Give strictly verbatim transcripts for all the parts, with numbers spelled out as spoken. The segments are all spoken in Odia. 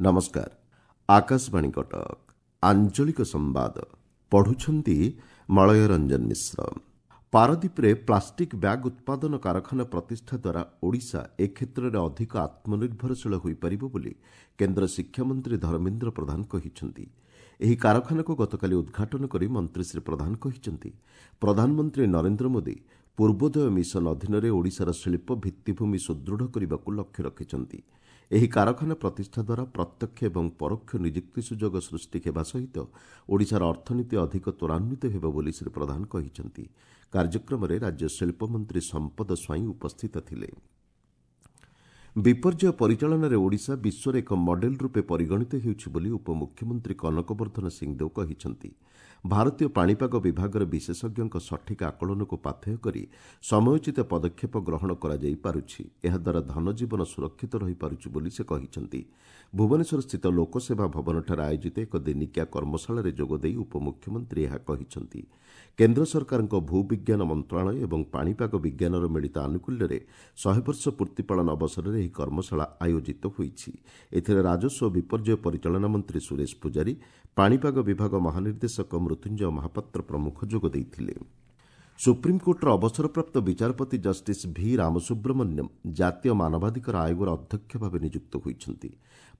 ନମସ୍କାର, ଆକାଶବାଣୀ କଟକ। ଆଞ୍ଚଳିକ ସମ୍ବାଦ ପଢୁଛନ୍ତି ମଳୟ ରଞ୍ଜନ ମିଶ୍ର। ପାରାଦୀପରେ ପ୍ଲାଷ୍ଟିକ୍ ବ୍ୟାଗ୍ ଉତ୍ପାଦନ କାରଖାନା ପ୍ରତିଷ୍ଠା ଦ୍ୱାରା ଓଡ଼ିଶା ଏ କ୍ଷେତ୍ରରେ ଅଧିକ ଆତ୍ମନିର୍ଭରଶୀଳ ହୋଇପାରିବ ବୋଲି କେନ୍ଦ୍ର ଶିକ୍ଷାମନ୍ତ୍ରୀ ଧର୍ମେନ୍ଦ୍ର ପ୍ରଧାନ କହିଛନ୍ତି। ଏହି କାରଖାନାକୁ ଗତକାଲି ଉଦ୍ଘାଟନ କରି ମନ୍ତ୍ରୀ ଶ୍ରୀ ପ୍ରଧାନ କହିଛନ୍ତି, ପ୍ରଧାନମନ୍ତ୍ରୀ ନରେନ୍ଦ୍ର ମୋଦି ପୂର୍ବୋଦୟ ମିଶନ ଅଧୀନରେ ଓଡ଼ିଶାର ଶିଳ୍ପ ଭିତ୍ତିଭୂମି ସୁଦୃଢ଼ କରିବାକୁ ଲକ୍ଷ୍ୟ ରଖିଛନ୍ତି। ଏହି କାରଖାନା ପ୍ରତିଷ୍ଠା ଦ୍ୱାରା ପ୍ରତ୍ୟକ୍ଷ ଏବଂ ପରୋକ୍ଷ ନିଯୁକ୍ତି ସୁଯୋଗ ସୃଷ୍ଟି ହେବା ସହିତ ଓଡ଼ିଶାର ଅର୍ଥନୀତି ଅଧିକ ତ୍ୱରାନ୍ୱିତ ହେବ ବୋଲି ଶ୍ରୀ ପ୍ରଧାନ କହିଛନ୍ତି। କାର୍ଯ୍ୟକ୍ରମରେ ରାଜ୍ୟ ଶିଳ୍ପମନ୍ତ୍ରୀ ସମ୍ପଦ ସ୍ୱାଇଁ ଉପସ୍ଥିତ ଥିଲେ। ବିପର୍ଯ୍ୟୟ ପରିଚାଳନାରେ ଓଡ଼ିଶା ବିଶ୍ୱରେ ଏକ ମଡେଲ ରୂପେ ପରିଗଣିତ ହେଉଛି ବୋଲି ଉପମୁଖ୍ୟମନ୍ତ୍ରୀ କନକ ବର୍ଦ୍ଧନ ସିଂଦେଓ କହିଛନ୍ତି। ଭାରତୀୟ ପାଣିପାଗ ବିଭାଗର ବିଶେଷଜ୍ଞଙ୍କ ସଠିକ୍ ଆକଳନକୁ ପାଥେୟ କରି ସମୟୋଚିତ ପଦକ୍ଷେପ ଗ୍ରହଣ କରାଯାଇପାରୁଛି। ଏହାଦ୍ୱାରା ଧନଜୀବନ ସୁରକ୍ଷିତ ରହିପାରୁଛି ବୋଲି ସେ କହିଛନ୍ତି। ଭୁବନେଶ୍ୱରସ୍ଥିତ ଲୋକସେବା ଭବନଠାରେ ଆୟୋଜିତ ଏକ ଦିନିକିଆ କର୍ମଶାଳାରେ ଯୋଗଦେଇ ଉପମୁଖ୍ୟମନ୍ତ୍ରୀ ଏହା କହିଛନ୍ତି। କେନ୍ଦ୍ର ସରକାରଙ୍କ ଭୂବିଜ୍ଞାନ ମନ୍ତ୍ରଣାଳୟ ଏବଂ ପାଣିପାଗ ବିଜ୍ଞାନର ମିଳିତ ଆନୁକୂଲ୍ୟରେ ଶହେ ବର୍ଷ ପୂର୍ତ୍ତି ପାଳନ ଅବସରରେ ଏହି କର୍ମଶାଳା ଆୟୋଜିତ ହୋଇଛି। ଏଥିରେ ରାଜସ୍ୱ ଓ ବିପର୍ଯ୍ୟୟ ପରିଚାଳନା ମନ୍ତ୍ରୀ ସୁରେଶ ପୂଜାରୀ, ପାଣିପାଗ ବିଭାଗ ମହାନିର୍ଦ୍ଦେଶକ ମୃତ୍ୟୁଞ୍ଜୟ ମହାପାତ୍ର ପ୍ରମୁଖ ଯୋଗ ଦେଇଥିଲେ। ସୁପ୍ରିମକୋର୍ଟର ଅବସରପ୍ରାପ୍ତ ବିଚାରପତି ଜଷ୍ଟିସ୍ ଭି ରାମସୁବ୍ରମଣ୍ୟମ୍ ଜାତୀୟ ମାନବାଧିକାର ଆୟୋଗର ଅଧ୍ୟକ୍ଷ ଭାବେ ନିଯୁକ୍ତ ହୋଇଛନ୍ତି।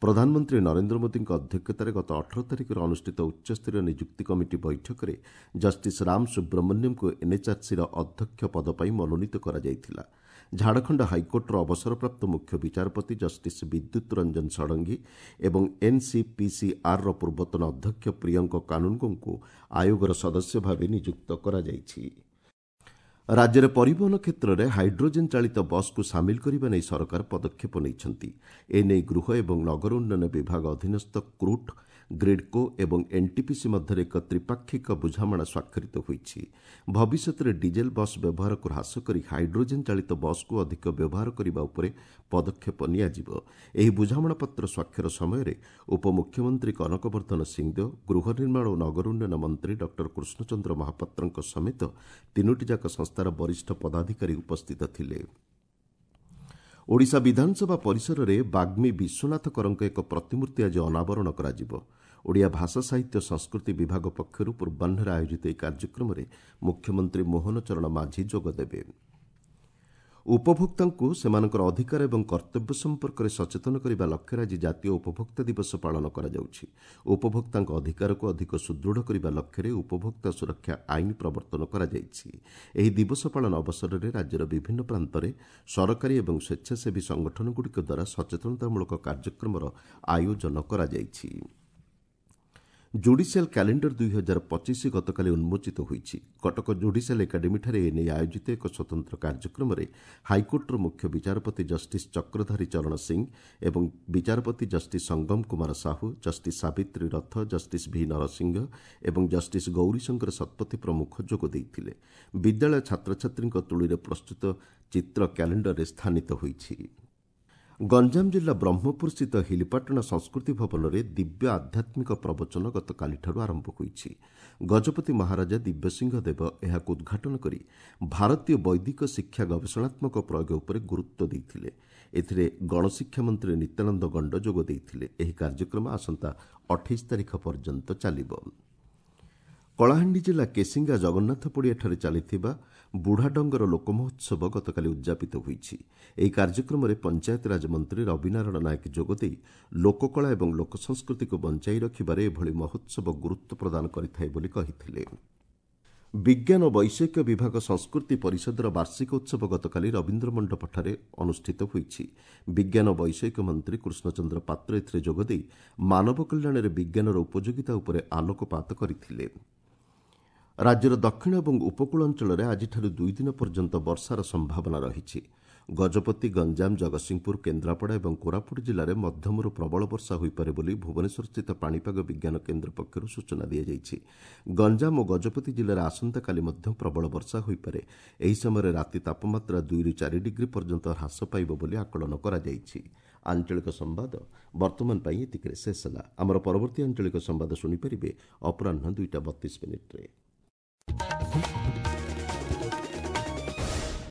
ପ୍ରଧାନମନ୍ତ୍ରୀ ନରେନ୍ଦ୍ର ମୋଦିଙ୍କ ଅଧ୍ୟକ୍ଷତାରେ ଗତ ଅଠର ତାରିଖରେ ଅନୁଷ୍ଠିତ ଉଚ୍ଚସ୍ତରୀୟ ନିଯୁକ୍ତି କମିଟି ବୈଠକରେ ଜଷ୍ଟିସ୍ ରାମ ସୁବ୍ରମଣ୍ୟମ୍ଙ୍କୁ ଏନ୍ଏଚ୍ଆର୍ସିର ଅଧ୍ୟକ୍ଷ ପଦ ପାଇଁ ମନୋନୀତ କରାଯାଇଥିଲା। ଝାଡ଼ଖଣ୍ଡ ହାଇକୋର୍ଟର ଅବସରପ୍ରାପ୍ତ ମୁଖ୍ୟ ବିଚାରପତି ଜଷ୍ଟିସ୍ ବିଦ୍ୟୁତ୍ ରଞ୍ଜନ ଷଡ଼ଙ୍ଗୀ ଏବଂ ଏନ୍ସିପିସିଆର୍ର ପୂର୍ବତନ ଅଧ୍ୟକ୍ଷ ପ୍ରିୟଙ୍କ କାନୁନଗୋଙ୍କୁ ଆୟୋଗର ସଦସ୍ୟ ଭାବେ ନିଯୁକ୍ତ କରାଯାଇଛି। ରାଜ୍ୟରେ ପରିବହନ କ୍ଷେତ୍ରରେ ହାଇଡ୍ରୋଜେନ୍ ଚାଳିତ ବସ୍କୁ ସାମିଲ କରିବା ନେଇ ସରକାର ପଦକ୍ଷେପ ନେଇଛନ୍ତି। ଏନେଇ ଗୃହ ଏବଂ ନଗର ଉନ୍ନୟନ ବିଭାଗ ଅଧୀନସ୍ଥ କ୍ରୁଟ୍, ଗ୍ରିଡ୍କୋ ଏବଂ ଏନ୍ଟିପିସି ମଧ୍ୟରେ ଏକ ତ୍ରିପାକ୍ଷିକ ବୁଝାମଣା ସ୍ୱାକ୍ଷରିତ ହୋଇଛି। ଭବିଷ୍ୟତରେ ଡିଜେଲ୍ ବସ୍ ବ୍ୟବହାରକୁ ହ୍ରାସ କରି ହାଇଡ୍ରୋଜେନ୍ ଚାଳିତ ବସ୍କୁ ଅଧିକ ବ୍ୟବହାର କରିବା ଉପରେ ପଦକ୍ଷେପ ନିଆଯିବ। ଏହି ବୁଝାମଣାପତ୍ର ସ୍ୱାକ୍ଷର ସମୟରେ ଉପମୁଖ୍ୟମନ୍ତ୍ରୀ କନକ ବର୍ଦ୍ଧନ ସିଂଦେଓ, ଗୃହ ନିର୍ମାଣ ଓ ନଗର ଉନ୍ନୟନ ମନ୍ତ୍ରୀ ଡକ୍ଟର କୃଷ୍ଣଚନ୍ଦ୍ର ମହାପାତ୍ରଙ୍କ ସମେତ ତିନୋଟି ଯାକ ସଂସ୍ଥାର ବରିଷ୍ଠ ପଦାଧିକାରୀ ଉପସ୍ଥିତ ଥିଲେ। ଓଡ଼ିଶା ବିଧାନସଭା ପରିସରରେ ବାଗ୍ମୀ ବିଶ୍ୱନାଥ କରଙ୍କ ଏକ ପ୍ରତିମୂର୍ତ୍ତି ଆଜି ଅନାବରଣ କରାଯିବ। ଓଡ଼ିଆ ଭାଷା ସାହିତ୍ୟ ସଂସ୍କୃତି ବିଭାଗ ପକ୍ଷରୁ ପୂର୍ବାହ୍ନରେ ଆୟୋଜିତ ଏହି କାର୍ଯ୍ୟକ୍ରମରେ ମୁଖ୍ୟମନ୍ତ୍ରୀ ମୋହନ ଚରଣ ମାଝୀ ଯୋଗଦେବେ। ଉପଭୋକ୍ତାଙ୍କୁ ସେମାନଙ୍କର ଅଧିକାର ଏବଂ କର୍ତ୍ତବ୍ୟ ସମ୍ପର୍କରେ ସଚେତନ କରିବା ଲକ୍ଷ୍ୟରେ ଆଜି ଜାତୀୟ ଉପଭୋକ୍ତା ଦିବସ ପାଳନ କରାଯାଉଛି। ଉପଭୋକ୍ତାଙ୍କ ଅଧିକାରକୁ ଅଧିକ ସୁଦୃଢ଼ କରିବା ଲକ୍ଷ୍ୟରେ ଉପଭୋକ୍ତା ସୁରକ୍ଷା ଆଇନ ପ୍ରବର୍ତ୍ତନ କରାଯାଇଛି। ଏହି ଦିବସ ପାଳନ ଅବସରରେ ରାଜ୍ୟର ବିଭିନ୍ନ ପ୍ରାନ୍ତରେ ସରକାରୀ ଏବଂ ସ୍ୱେଚ୍ଛାସେବୀ ସଂଗଠନଗୁଡ଼ିକ ଦ୍ୱାରା ସଚେତନତାମୂଳକ କାର୍ଯ୍ୟକ୍ରମର ଆୟୋଜନ କରାଯାଇଛି। ଜୁଡିସିଆଲ କ୍ୟାଲେଣ୍ଡର ଦୁଇ ହଜାର ପଚିଶ ଗତକାଲି ଉନ୍ମୋଚିତ ହୋଇଛି। କଟକ ଜୁଡିସିଆଲ ଏକାଡେମୀଠାରେ ଏନେଇ ଆୟୋଜିତ ଏକ ସ୍ୱତନ୍ତ୍ର କାର୍ଯ୍ୟକ୍ରମରେ ହାଇକୋର୍ଟର ମୁଖ୍ୟ ବିଚାରପତି ଜଷ୍ଟିସ୍ ଚକ୍ରଧାରୀ ଚରଣ ସିଂ ଏବଂ ବିଚାରପତି justice Sangam Kumar Sahu, justice Sabitri Rath, justice V Narasingha ଏବଂ ଜଷ୍ଟିସ୍ ଗୌରୀଶଙ୍କର ଶତପଥୀ ପ୍ରମୁଖ ଯୋଗ ଦେଇଥିଲେ। ବିଦ୍ୟାଳୟ ଛାତ୍ରଛାତ୍ରୀଙ୍କ ତୁଳିରେ ପ୍ରସ୍ତୁତ ଚିତ୍ର କ୍ୟାଲେଣ୍ଡରରେ ସ୍ଥାନିତ ହୋଇଛି। ଗଞ୍ଜାମ ଜିଲ୍ଲା ବ୍ରହ୍ମପୁରସ୍ଥିତ ହିଲିପାଟଣା ସଂସ୍କୃତି ଭବନରେ ଦିବ୍ୟ ଆଧ୍ୟାତ୍ମିକ ପ୍ରବଚନ ଗତକାଲିଠାରୁ ଆରମ୍ଭ ହୋଇଛି। ଗଜପତି ମହାରାଜା ଦିବ୍ୟସିଂହ ଦେବ ଏହାକୁ ଉଦ୍ଘାଟନ କରି ଭାରତୀୟ ବୈଦିକ ଶିକ୍ଷା ଗବେଷଣାତ୍ମକ ପ୍ରୟୋଗ ଉପରେ ଗୁରୁତ୍ୱ ଦେଇଥିଲେ। ଏଥିରେ ଗଣଶିକ୍ଷା ମନ୍ତ୍ରୀ ନିତ୍ୟାନନ୍ଦ ଗଣ୍ଡ ଯୋଗ ଦେଇଥିଲେ। ଏହି କାର୍ଯ୍ୟକ୍ରମ ଆସନ୍ତା ଅଠେଇଶ ତାରିଖ ପର୍ଯ୍ୟନ୍ତ ଚାଲିବ। କଳାହାଣ୍ଡି ଜିଲ୍ଲା କେସିଙ୍ଗା ଜଗନ୍ନାଥ ପଡ଼ିଆଠାରେ ଚାଲିଥିବା ବୁଢ଼ାଡଙ୍ଗର ଲୋକମହୋତ୍ସବ ଗତକାଲି ଉଦ୍ଯାପିତ ହୋଇଛି। ଏହି କାର୍ଯ୍ୟକ୍ରମରେ ପଞ୍ଚାୟତିରାଜ ମନ୍ତ୍ରୀ ରବିନାରାୟଣ ନାୟକ ଯୋଗଦେଇ ଲୋକକଳା ଏବଂ ଲୋକସଂସ୍କୃତିକୁ ବଞ୍ଚାଇ ରଖିବାରେ ଏଭଳି ମହୋତ୍ସବ ଗୁରୁତ୍ୱ ପ୍ରଦାନ କରିଥାଏ ବୋଲି କହିଥିଲେ। ବିଜ୍ଞାନ ଓ ବୈଷୟିକ ବିଭାଗ ସଂସ୍କୃତି ପରିଷଦର ବାର୍ଷିକ ଉତ୍ସବ ଗତକାଲି ରବୀନ୍ଦ୍ର ମଣ୍ଡପଠାରେ ଅନୁଷ୍ଠିତ ହୋଇଛି। ବିଜ୍ଞାନ ଓ ବୈଷୟିକ ମନ୍ତ୍ରୀ କୃଷ୍ଣଚନ୍ଦ୍ର ପାତ୍ର ଏଥିରେ ଯୋଗଦେଇ ମାନବ କଲ୍ୟାଣରେ ବିଜ୍ଞାନର ଉପଯୋଗିତା ଉପରେ ଆଲୋକପାତ କରିଥିଲେ। ରାଜ୍ୟର ଦକ୍ଷିଣ ଏବଂ ଉପକୂଳ ଅଞ୍ଚଳରେ ଆଜିଠାରୁ ଦୁଇ ଦିନ ପର୍ଯ୍ୟନ୍ତ ବର୍ଷାର ସମ୍ଭାବନା ରହିଛି। ଗଜପତି, ଗଞ୍ଜାମ, ଜଗତସିଂହପୁର, କେନ୍ଦ୍ରାପଡ଼ା ଏବଂ କୋରାପୁଟ ଜିଲ୍ଲାରେ ମଧ୍ୟମରୁ ପ୍ରବଳ ବର୍ଷା ହୋଇପାରେ ବୋଲି ଭୁବନେଶ୍ୱରସ୍ଥିତ ପାଣିପାଗ ବିଜ୍ଞାନ କେନ୍ଦ୍ର ପକ୍ଷରୁ ସୂଚନା ଦିଆଯାଇଛି। ଗଞ୍ଜାମ ଓ ଗଜପତି ଜିଲ୍ଲାରେ ଆସନ୍ତାକାଲି ମଧ୍ୟ ପ୍ରବଳ ବର୍ଷା ହୋଇପାରେ। ଏହି ସମୟରେ ରାତି ତାପମାତ୍ରା ଦୁଇରୁ ଚାରି ଡିଗ୍ରୀ ପର୍ଯ୍ୟନ୍ତ ହ୍ରାସ ପାଇବ ବୋଲି ଆକଳନ କରାଯାଇଛି। ଆଞ୍ଚଳିକ ସମ୍ବାଦ ବର୍ତ୍ତମାନ ପାଇଁ ଏତିକିରେ ଶେଷ ହେଲା। ଆମର ପରବର୍ତ୍ତୀ ଆଞ୍ଚଳିକ ସମ୍ବାଦ ଶୁଣିପାରିବେ ଅପରାହ୍ନ ଦୁଇଟା ବତିଶ ମିନିଟ୍ରେ।